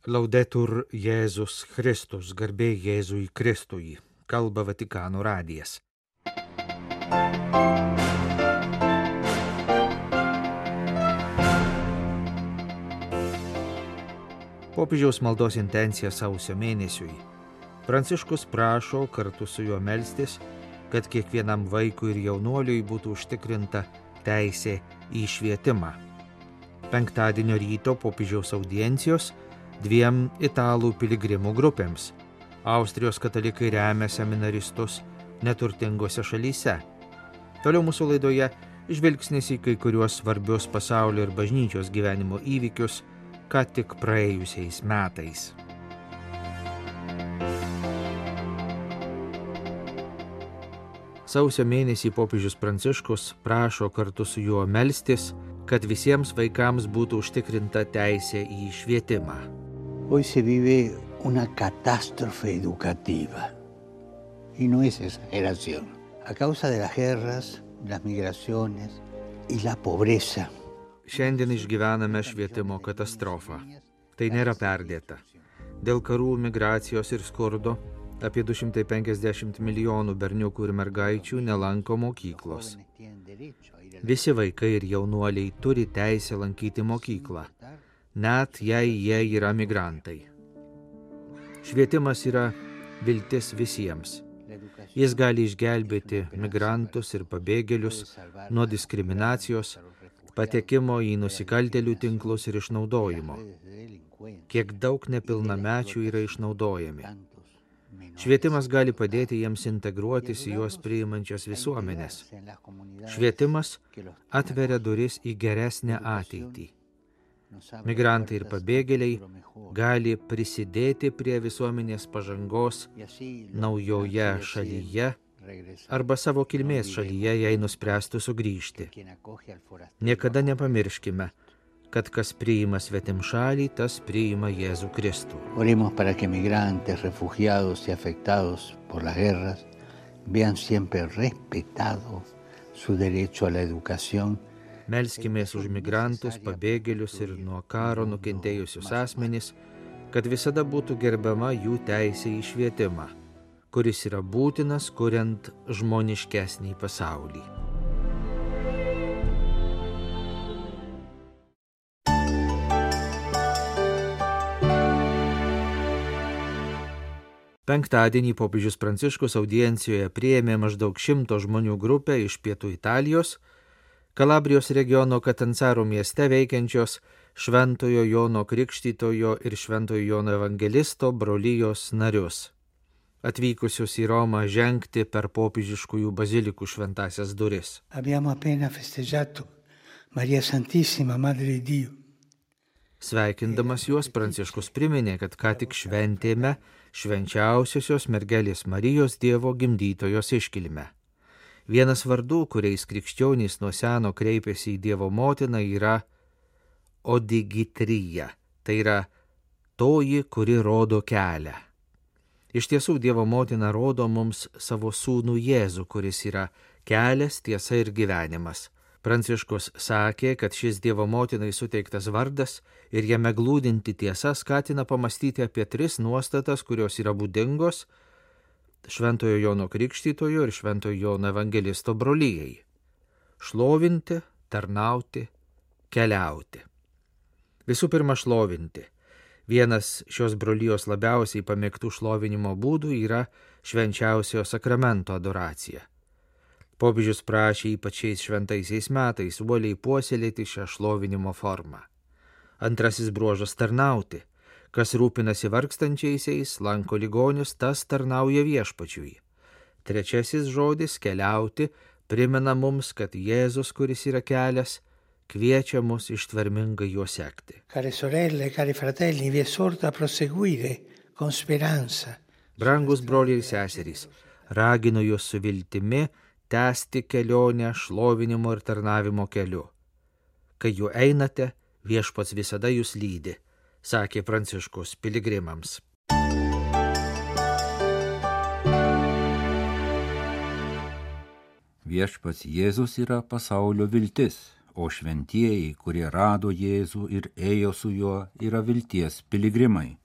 Laudetur Jėzus Kristus, garbė Jėzui Kristui, kalba Vatikano radijas. Popiežiaus maldos intencija sausio mėnesiui. Pranciškus prašo kartu su juo melstis, kad kiekvienam vaikui ir jaunuoliui būtų užtikrinta teisė į švietimą. Penktadienio ryto popiežiaus audiencijos 2 italų piligrimų grupėms. Austrijos katalikai remia seminaristus neturtingose šalyse. Toliau mūsų laidoje žvilgsnis į kai kuriuos svarbius pasaulio ir bažnyčios gyvenimo įvykius, ką tik praėjusiais metais. Sausio mėnesį popiežius Pranciškus prašo kartu su juo melstis, kad visiems vaikams būtų užtikrinta teisė į švietimą. Hoy se vive una catástrofe educativa, y no es exageración. A causa de las guerras, las migraciones y la pobreza. Šiandien išgyvename švietimo katastrofą. Tai nėra perdėta. Dėl karų, migracijos ir skurdo apie 250 milijonų berniukų ir mergaičių nelanko mokyklos. Visi vaikai ir jaunuoliai turi teisę lankyti mokyklą, net jei jie yra migrantai. Švietimas yra viltis visiems. Jis gali išgelbėti migrantus ir pabėgėlius nuo diskriminacijos, patekimo į nusikaltėlių tinklus ir išnaudojimo. Kiek daug nepilnamečių yra išnaudojami. Švietimas gali padėti jiems integruotis į juos priimančias visuomenės. Švietimas atveria duris į geresnę ateitį. Migrantai ir pabėgėliai gali prisidėti prie visuomenės pažangos naujoje šalyje arba savo kilmės šalyje, jei nuspręstų sugrįžti. Niekada nepamirškime, kad kas priima svetimšalį, tas priima Jėzų Kristų. Oremos para que migrantes, refugiados y afectados por las guerras vean siempre respetado su derecho a la educación. Melskimės už migrantus, pabėgėlius ir nuo karo nukentėjusius asmenis, kad visada būtų gerbiama jų teisė į švietimą, kuris yra būtinas, kuriant žmoniškesnį pasaulį. Penktadienį popiežius Pranciškus audiencijoje priėmė maždaug 100 žmonių grupę iš pietų Italijos, Kalabrijos regiono Katanzaro mieste veikiančios Šventojo Jono Krikštytojo ir Šventojo Jono Evangelisto brolijos narius, atvykusius į Romą žengti per popiežiškųjų bazilikų šventąsias duris. Abbiamo appena festeggiato Maria Santissima, Madre di Dio. Sveikindamas juos, Pranciškus priminė, kad ką tik šventėme švenčiausiosios mergelės Marijos Dievo gimdytojos iškilmę. Vienas vardų, kuriais krikščionys nuo seno kreipėsi į Dievo motiną, yra Odigitrija, tai yra toji, kuri rodo kelią. Iš tiesų, Dievo motina rodo mums savo sūnų Jėzų, kuris yra kelias, tiesa ir gyvenimas. Pranciškus sakė, kad šis Dievo motinai suteiktas vardas ir jame glūdinti tiesa skatina pamastyti apie 3 nuostatas, kurios yra būdingos Šventojo Jono Krikštytojo ir Šventojo Jono Evangelisto brolijai. Šlovinti, tarnauti, keliauti. Visų pirma, šlovinti. Vienas šios brolijos labiausiai pamėgtų šlovinimo būdų yra švenčiausiojo sakramento adoracija. Popiežius prašė ypač šiais šventaisiais metais uoliai puoselėti šią šlovinimo formą. Antrasis bruožas – tarnauti. Kas rūpinasi vargstančiaisiais, lanko ligonius, tas tarnauja viešpačiui. Trečiasis žodis – keliauti, primena mums, kad Jėzus, kuris yra kelias, kviečia mus ištvermingai juo sekti. Care sorelle, cari fratelli, vi esorto a proseguire con speranza. Brangus broliai ir seserys, raginu jūs su viltimi tęsti kelionę šlovinimo ir tarnavimo keliu. Kai juo einate, viešpats visada jūs lydi, sakė Pranciškus piligrimams. Viešpats Jėzus yra pasaulio viltis, o šventieji, kurie rado Jėzų ir ėjo su juo, yra vilties piligrimai,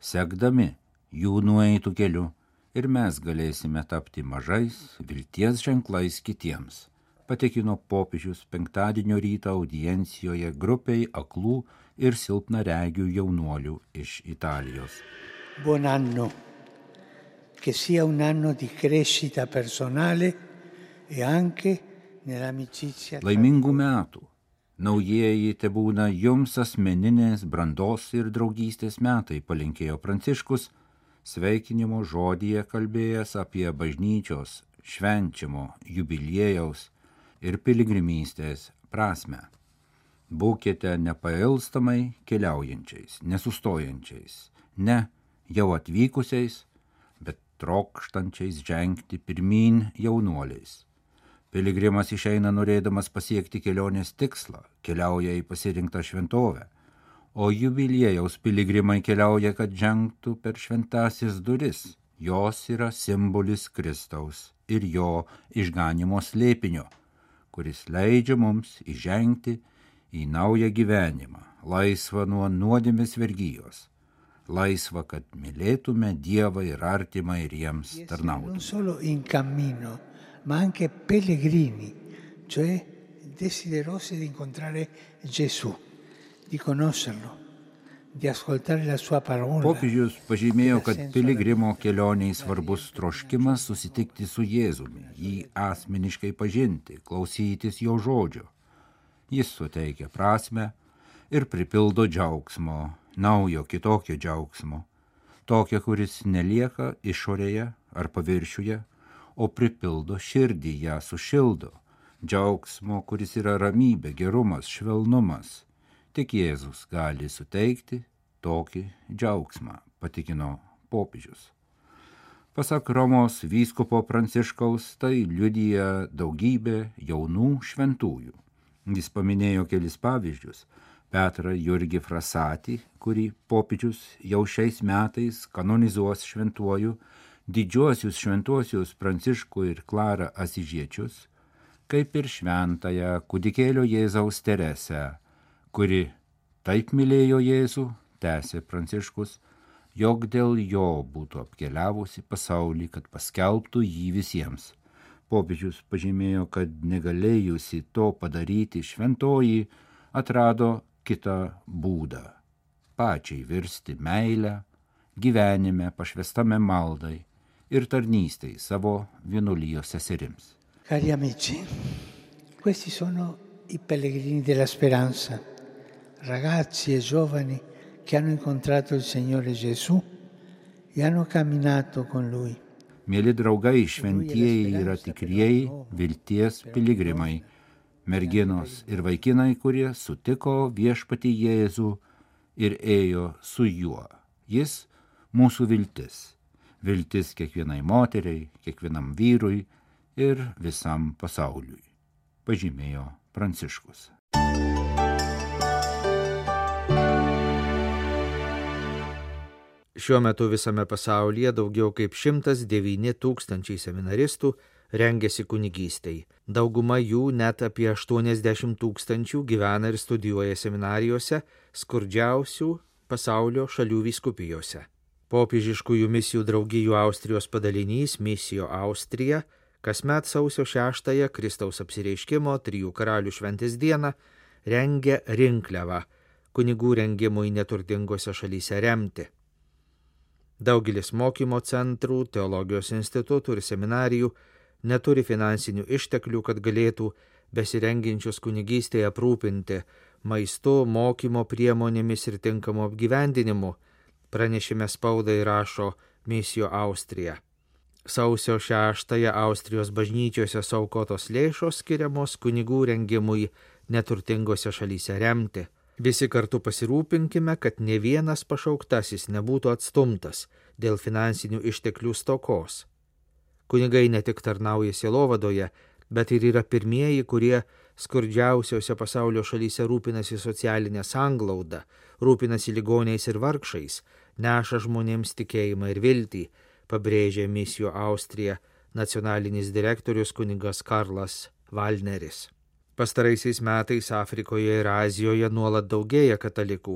sekdami jų nueitų keliu, ir mes galėsime tapti mažais vilties ženklais kitiems, patikino popiežius penktadienio rytą audiencijoje grupiai aklų ir silpnaregių jaunuolių iš Italijos. Buon anno, che sia un anno di crescita personale e anche nell'amicizia. Laimingų metų. Naujieji tebūna jums asmeninės brandos ir draugystės metai, palinkėjo Pranciškus, sveikinimo žodyje kalbėjęs apie bažnyčios švenčiamo jubiliejaus ir piligrimystės prasmę. Būkite nepailstamai keliaujančiais, nesustojančiais, ne jau atvykusiais, bet trokštančiais žengti pirmyn jaunuoliais. Piligrimas išeina norėdamas pasiekti kelionės tikslą, keliauja į pasirinktą šventovę, o jubiliejaus piligrimai keliauja, kad žengtų per šventasis duris. Jos yra simbolis Kristaus ir jo išganimo slėpinio, kuris leidžia mums įžengti į naują gyvenimą, laisvą nuo nuodėmės vergijos, laisvą, kad mylėtume Dievą ir artimą ir jiems tarnautume. Non solo in cammino, ma anche pellegrini, cioè desiderosi di incontrare Gesù, di conoscerlo, di ascoltare la sua parola. Popiežius pažymėjo, kad piligrimo kelioniai svarbus troškimas susitikti su Jėzumi, jį asmeniškai pažinti, klausytis jo žodžio. Jis suteikia prasmę ir pripildo džiaugsmo, naujo kitokio džiaugsmo, tokio, kuris nelieka išorėje ar paviršiuje, o pripildo širdį, ją sušildo, džiaugsmo, kuris yra ramybė, gerumas, švelnumas. Tik Jėzus gali suteikti tokį džiaugsmą, patikino popiežius. Pasak Romos vyskupo Pranciškaus, tai liudija daugybė jaunų šventųjų. Jis paminėjo kelis pavyzdžius. Petrą Jurgį Frasatį, kurį popiežius jau šiais metais kanonizuos šventuoju, didžiuosius šventuosius Pranciškų ir Klarą Asižiečius, kaip ir šventąją kūdikėlio Jėzaus Teresę, kuri taip mylėjo Jėzų, tęsė Pranciškus, jog dėl jo būtų apkeliavusi pasaulį, kad paskelbtų jį visiems. Popiežius pažymėjo, kad negalėjusi to padaryti šventoji atrado kitą būdą – pačiai virsti meilę, gyvenime pašvestame maldai ir tarnystei savo vienuolijos seserims. Cari amici, questi sono i pellegrini della speranza, ragazzi e giovani che hanno incontrato il Signore Gesù e hanno camminato con Lui. Mėly draugai, šventieji yra tikrieji vilties piligrimai, merginos ir vaikinai, kurie sutiko viešpatį Jėzų ir ėjo su juo. Jis mūsų viltis. Viltis kiekvienai moteriai, kiekvienam vyrui ir visam pasauliui, pažymėjo Pranciškus. Šiuo metu visame pasaulyje daugiau kaip 109 000 seminaristų rengiasi kunigystei. Dauguma jų, net apie 80 000, gyvena ir studijuoja seminarijose skurdžiausių pasaulio šalių vyskupijose. Popiežiškųjų misijų draugijų Austrijos padalinys Misijo Austrija kasmet sausio 6-ąją Kristaus apsireiškimo 3 karalių šventės dieną rengia rinkliavą kunigų rengimui neturtingose šalyse remti. Daugelis mokymo centrų, teologijos institutų ir seminarijų neturi finansinių išteklių, kad galėtų besirengiančius kunigystėje aprūpinti maistu, mokymo priemonėmis ir tinkamu apgyvendinimu, pranešime spaudai rašo Misijo Austrija. Sausio 6-ąją Austrijos bažnyčiose suaukotos lėšos skiriamos kunigų rengimui neturtingose šalyse remti. Visi kartu pasirūpinkime, kad ne vienas pašauktasis nebūtų atstumtas dėl finansinių išteklių stokos. Kunigai ne tik tarnauja sielovadoje, bet ir yra pirmieji, kurie skurdžiausiose pasaulio šalyse rūpinasi socialinę sanglaudą, rūpinasi ligoniais ir vargšais, neša žmonėms tikėjimą ir viltį, pabrėžė Misijo Austrija nacionalinis direktorius kunigas Karlas Valneris. Pastaraisiais metais Afrikoje ir Azijoje nuolat daugėja katalikų,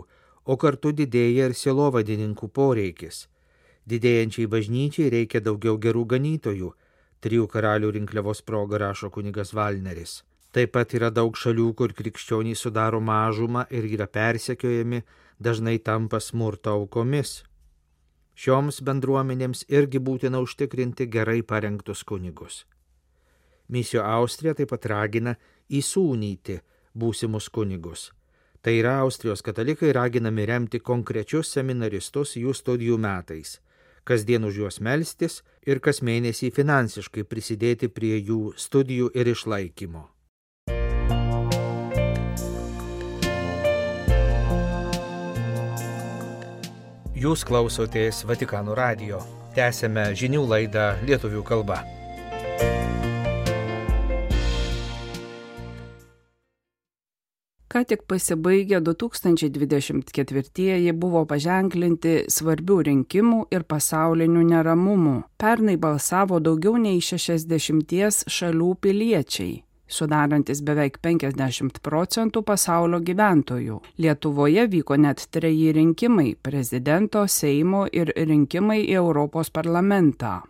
o kartu didėja ir sielovadininkų poreikis. Didėjančiai bažnyčiai reikia daugiau gerų ganytojų, 3 karalių rinkliavos proga rašo kunigas Valneris. Taip pat yra daug šalių, kur krikščioniai sudaro mažumą ir yra persekiojami, dažnai tampa smurto aukomis. Šioms bendruomenėms irgi būtina užtikrinti gerai parengtus kunigus. Misio Austrija taip pat ragina įsūnyti būsimus kunigus. Tai yra Austrijos katalikai raginami remti konkrečius seminaristus jų studijų metais, kasdien už juos melstis ir kas mėnesį finansiškai prisidėti prie jų studijų ir išlaikymo. Jūs klausotės Vatikano radijo. Tęsiame žinių laidą lietuvių kalba. Ką tik pasibaigę 2024 buvo paženklinti svarbių rinkimų ir pasaulinių neramumų. Pernai balsavo daugiau nei 60 šalių piliečiai, sudarantis beveik 50% pasaulio gyventojų. Lietuvoje vyko net 3 rinkimai – prezidento, Seimo ir rinkimai į Europos parlamentą.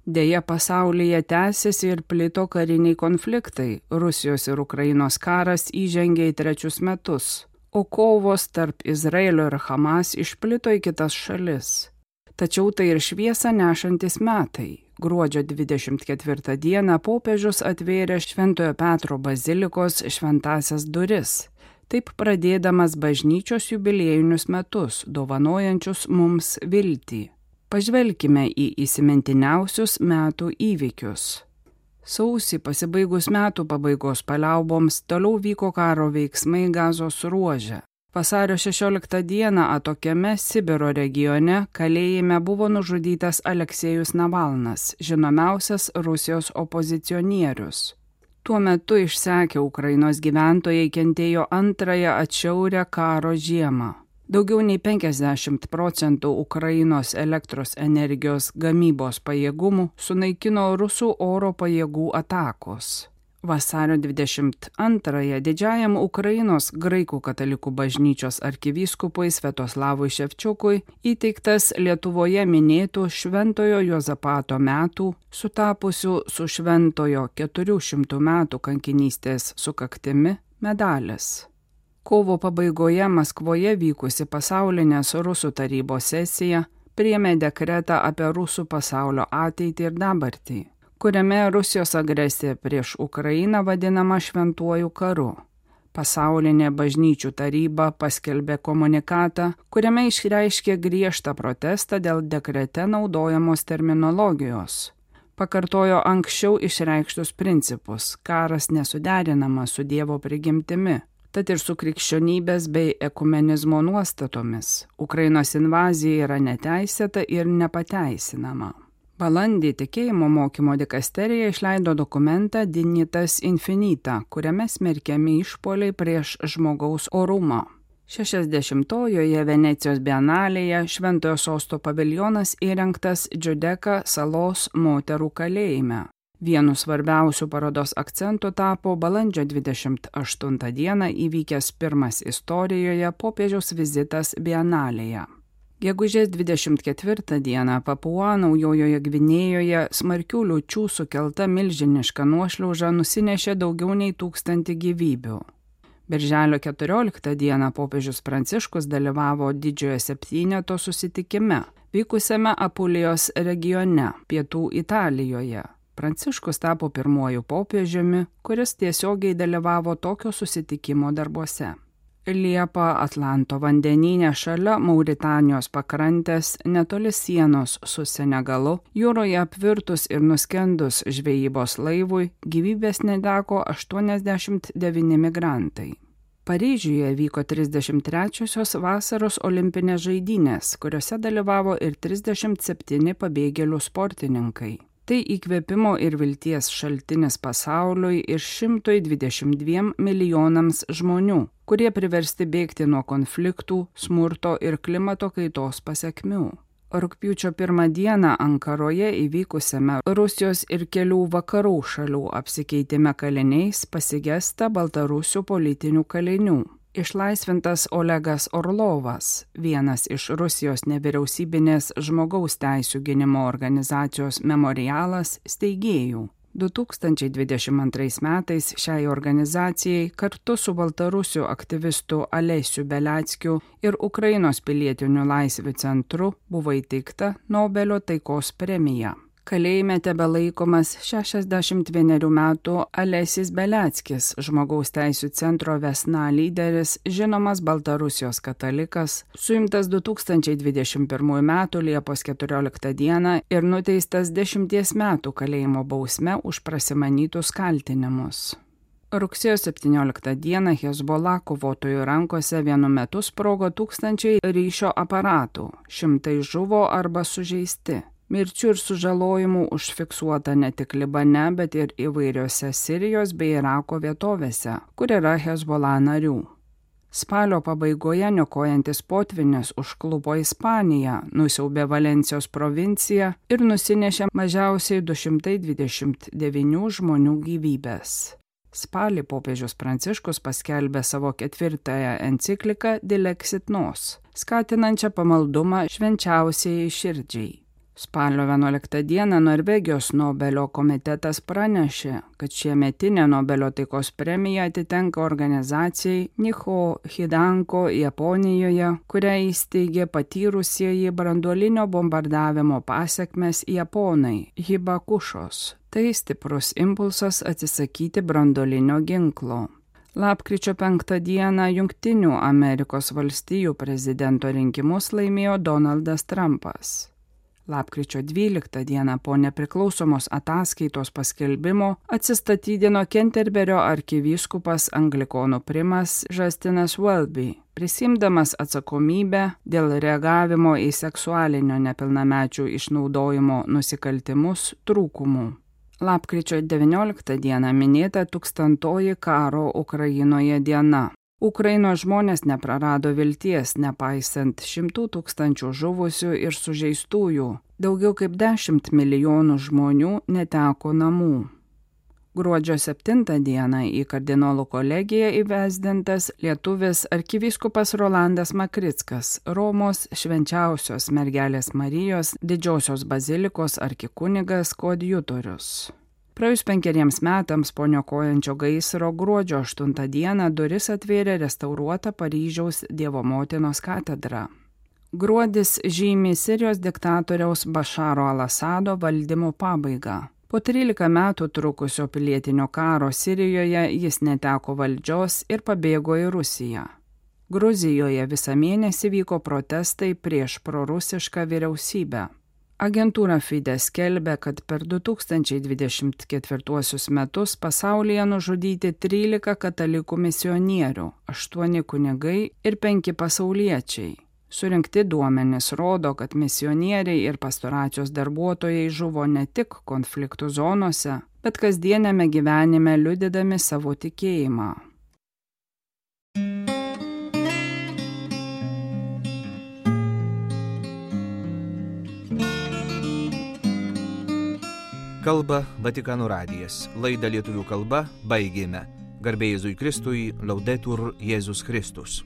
Deja, pasaulyje tęsiasi ir plito kariniai konfliktai. Rusijos ir Ukrainos karas įžengė į 3 metus, o kovos tarp Izraelio ir Hamas išplito į kitas šalis. Tačiau tai ir šviesą nešantis metai. Gruodžio 24 dieną popiežius atvėrė Šventojo Petro bazilikos šventąsias duris, taip pradėdamas bažnyčios jubiliejinius metus, dovanojančius mums viltį. Pažvelkime į įsimintiniausius metų įvykius. Sausį pasibaigus metų pabaigos paliauboms toliau vyko karo veiksmai Gazos ruože. Vasario 16 dieną atokiame Sibiro regione kalėjime buvo nužudytas Aleksejus Navalnas, žinomiausias Rusijos opozicionierius. Tuo metu išsekę Ukrainos gyventojai kentėjo antrąją atšiaurią karo žiemą. Daugiau nei 50% Ukrainos elektros energijos gamybos pajėgumų sunaikino rusų oro pajėgų atakos. Vasario 22 didžiajam Ukrainos graikų katalikų bažnyčios arkivyskupui Sviatoslavui Ševčiukui įteiktas Lietuvoje minėtų Šventojo Juozapato metų, sutapusių su Šventojo 400 metų kankinystės sukaktimi, medalis. Kovo pabaigoje Maskvoje vykusi pasaulinės Rusų tarybos sesija priėmė dekretą apie rusų pasaulio ateitį ir dabartį, kuriame Rusijos agresija prieš Ukrainą vadinama šventuoju karu. Pasaulinė bažnyčių taryba paskelbė komunikatą, kuriame išreiškė griežtą protestą dėl dekrete naudojamos terminologijos. Pakartojo anksčiau išreikštus principus – karas nesuderinamas su Dievo prigimtimi, tad ir su krikščionybės bei ekumenizmo nuostatomis. Ukrainos invazija yra neteisėta ir nepateisinama. Balandį tikėjimo mokymo dikasterija išleido dokumentą Dignitas Infinita, kuriame smerkiami išpuoliai prieš žmogaus orumą. 60-ojoje Venecijos bienalėje Šventojo Sosto paviljonas įrengtas Džiudeka salos moterų kalėjime. Vienu svarbiausių parodos akcentų tapo balandžio 28 dieną įvykęs pirmas istorijoje popiežiaus vizitas bienalėje. Gegužės 24 dieną Papua Naujojoje Gvinėjoje smarkių liūčių sukelta milžiniška nuošliauža nusinešė daugiau nei 1000 gyvybių. Birželio 14 dieną popiežius Pranciškus dalyvavo Didžiojo septyneto susitikime, vykusiame Apulijos regione, pietų Italijoje. Pranciškus tapo pirmuoju popiežiumi, kuris tiesiogiai dalyvavo tokio susitikimo darbuose. Liepą Atlanto vandenyne šalia Mauritanijos pakrantės, netoli sienos su Senegalu, jūroje apvirtus ir nuskendus žvejybos laivui, gyvybės neteko 89 migrantai. Paryžiuje vyko 33-osios vasaros olimpinės žaidynės, kuriuose dalyvavo ir 37 pabėgėlių sportininkai. Tai įkvėpimo ir vilties šaltinis pasauliui ir 122 milijonams žmonių, kurie priversti bėgti nuo konfliktų, smurto ir klimato kaitos pasekmių. Rugpjūčio 1 dieną Ankaroje įvykusiame Rusijos ir kelių vakarų šalių apsikeitime kaliniais pasigesta baltarusių politinių kalinių. Išlaisvintas Olegas Orlovas, vienas iš Rusijos nevyriausybinės žmogaus teisių gynimo organizacijos Memorialas steigėjų. 2022 metais šiai organizacijai kartu su baltarusių aktyvistu Alesiu Beliackiu ir Ukrainos pilietinių laisvių centru buvo įteikta Nobelio taikos premija. Kalėjime tebelaikomas 61 metų Alesis Beliackis, žmogaus teisių centro Vesna lyderis, žinomas Baltarusijos katalikas, suimtas 2021 metų Liepos 14 dieną ir nuteistas 10 metų kalėjimo bausme už prasimanytus kaltinimus. Rugsėjo 17 dieną Hezbollah kovotojų rankose vienu metu sprogo 1000 ryšio aparatų, 100 žuvo arba sužeisti. Mirčių ir sužalojimų užfiksuota ne tik Libane, bet ir įvairiose Sirijos bei Irako vietovėse, kur yra Hezbollah narių. Spalio pabaigoje niokojantis potvynis užklupo Ispaniją, nusiaubė Valencijos provinciją ir nusinešė mažiausiai 229 žmonių gyvybės. Spalį popiežius Pranciškus paskelbė savo 4 encikliką Dilexit Nos, skatinančią pamaldumą švenčiausiai širdžiai. Spalio 11 dieną Norvegijos Nobelio komitetas pranešė, kad šiemetinė Nobelio taikos premija atitenka organizacijai Niho Hidanko Japonijoje, kurią įsteigė patyrusieji branduolinio bombardavimo pasekmes japonai Hibakušos. Tai stiprus impulsas atsisakyti branduolinio ginklo. Lapkričio 5 dieną Jungtinių Amerikos valstijų prezidento rinkimus laimėjo Donaldas Trumpas. Lapkričio 12 dieną po nepriklausomos ataskaitos paskelbimo atsistatydino Kenterberio arkivyskupas anglikonų primas Justinas Welby, prisiimdamas atsakomybę dėl reagavimo į seksualinio nepilnamečių išnaudojimo nusikaltimus trūkumų. Lapkričio 19 dieną minėta 1000-oji karo Ukrainoje diena. Ukrainos žmonės neprarado vilties, nepaisant 100 000 žuvusių ir sužeistųjų. Daugiau kaip 10 milijonų žmonių neteko namų. Gruodžio 7 dieną į kardinolų kolegiją įvesdintas lietuvis arkivyskupas Rolandas Makrickas, Romos švenčiausios mergelės Marijos didžiosios bazilikos arkikunigas koadjutorius. Praėjus 5 metams po niokojančio gaisro gruodžio 8 dieną duris atvėrė restauruota Paryžiaus Dievo motinos katedra. Gruodis žymi Sirijos diktatoriaus Bašaro al-Asado valdymo pabaigą. Po 13 metų trukusio pilietinio karo Sirijoje jis neteko valdžios ir pabėgo į Rusiją. Gruzijoje visą mėnesį vyko protestai prieš prorusišką vyriausybę. Agentūra Fides skelbia, kad per 2024 metus pasaulyje nužudyti 13 katalikų misionierių, 8 kunigai ir 5 pasauliečiai. Surinkti duomenys rodo, kad misionieriai ir pastoracijos darbuotojai žuvo ne tik konfliktų zonose, bet kasdieniame gyvenime liudydami savo tikėjimą. Kalba Vatikano radijas. Laidą lietuvių kalba baigėme. Garbė Jėzui Kristui, Laudetur Jėzus Kristus.